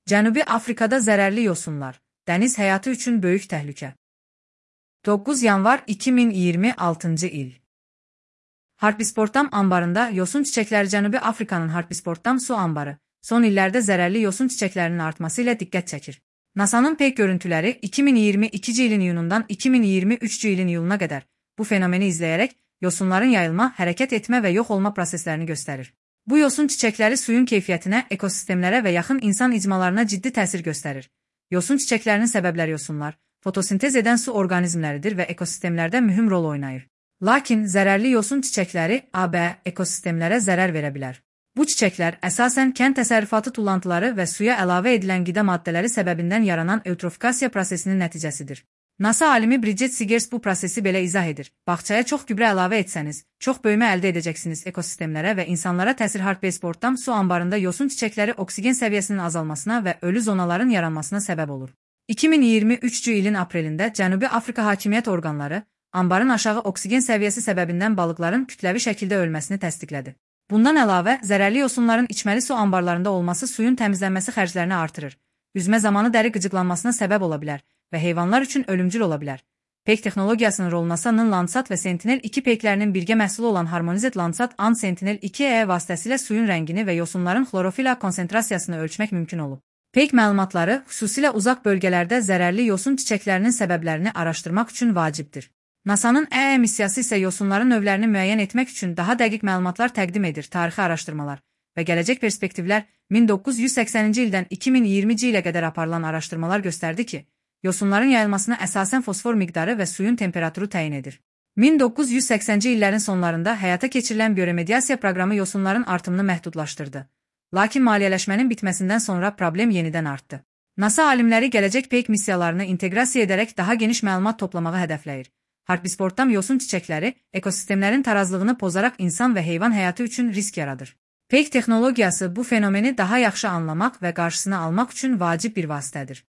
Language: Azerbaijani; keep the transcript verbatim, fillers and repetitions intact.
Cənubi Afrikada zərərli yosunlar, dəniz həyatı üçün böyük təhlükə. doqquz yanvar iki min iyirmi altıncı il. Harpisportam anbarında yosun çiçəkləri. Cənubi Afrikanın Harpisportam su anbarı son illərdə zərərli yosun çiçəklərinin artması ilə diqqət çəkir. NASA'nın peyk görüntüləri iki min iyirmi ikinci ilin iyunundan iki min iyirmi üçüncü ilin iyuluna qədər bu fenomeni izləyərək yosunların yayılma, hərəkət etmə və yox olma proseslərini göstərir. Bu yosun çiçəkləri suyun keyfiyyətinə, ekosistemlərə və yaxın insan icmalarına ciddi təsir göstərir. Yosun çiçəklərinin səbəbləri yosunlar, fotosintez edən su orqanizmləridir və ekosistemlərdə mühüm rol oynayır. Lakin zərərli yosun çiçəkləri A B ekosistemlərə zərər verə bilər. Bu çiçəklər əsasən kənd təsərrüfatı tullantıları və suya əlavə edilən qida maddələri səbəbindən yaranan eutrofikasiya prosesinin nəticəsidir. NASA alimi Bridget Seegers bu prosesi belə izah edir. Bağçaya çox gübrə əlavə etsəniz, çox böyümə əldə edəcəksiniz. Ekosistemlərə və insanlara təsir. Harpisportam su anbarında yosun çiçəkləri oksigen səviyyəsinin azalmasına və ölü zonaların yaranmasına səbəb olur. iki min iyirmi üçüncü ilin aprelində Cənubi Afrika hakimiyyət orqanları anbarın aşağı oksigen səviyyəsi səbəbindən balıqların kütləvi şəkildə ölməsini təsdiqlədi. Bundan əlavə, zərərli yosunların içməli su anbarlarında olması suyun təmizlənməsi xərclərini artırır, üzmə zamanı dəri qıcıqlanmasına səbəb ola bilər və heyvanlar üçün ölümcül ola bilər. Peyk texnologiyasının rolu NASA'nın Landsat və Sentinel iki peyklərinin birgə məhsulu olan Harmonized Landsat and Sentinel iki E vasitəsilə suyun rəngini və yosunların xlorofila konsentrasiyasını ölçmək mümkün olub. Peyk məlumatları xüsusilə uzaq bölgələrdə zərərli yosun çiçəklərinin səbəblərini araşdırmaq üçün vacibdir. NASA'nın E E missiyası isə yosunların növlərini müəyyən etmək üçün daha dəqiq məlumatlar təqdim edir. Tarixi araşdırmalar və gələcək perspektivlər. min doqquz yüz səksəninci ildən iki min iyirminci ilə qədər aparılan araşdırmalar göstərdi ki, yosunların yayılmasına əsasən fosfor miqdarı və suyun temperaturu təyin edir. min doqquz yüz səksənci illərin sonlarında həyata keçirilən bioremediasiya proqramı yosunların artımını məhdudlaşdırdı. Lakin maliyyələşmənin bitməsindən sonra problem yenidən artdı. NASA alimləri gələcək peyk missiyalarını inteqrasiya edərək daha geniş məlumat toplamağı hədəfləyir. Harpisportam yosun çiçəkləri ekosistemlərin tarazlığını pozaraq insan və heyvan həyatı üçün risk yaradır. Peyk texnologiyası bu fenomeni daha yaxşı anlamaq və qarşısını almaq üçün vacib bir vasitədir.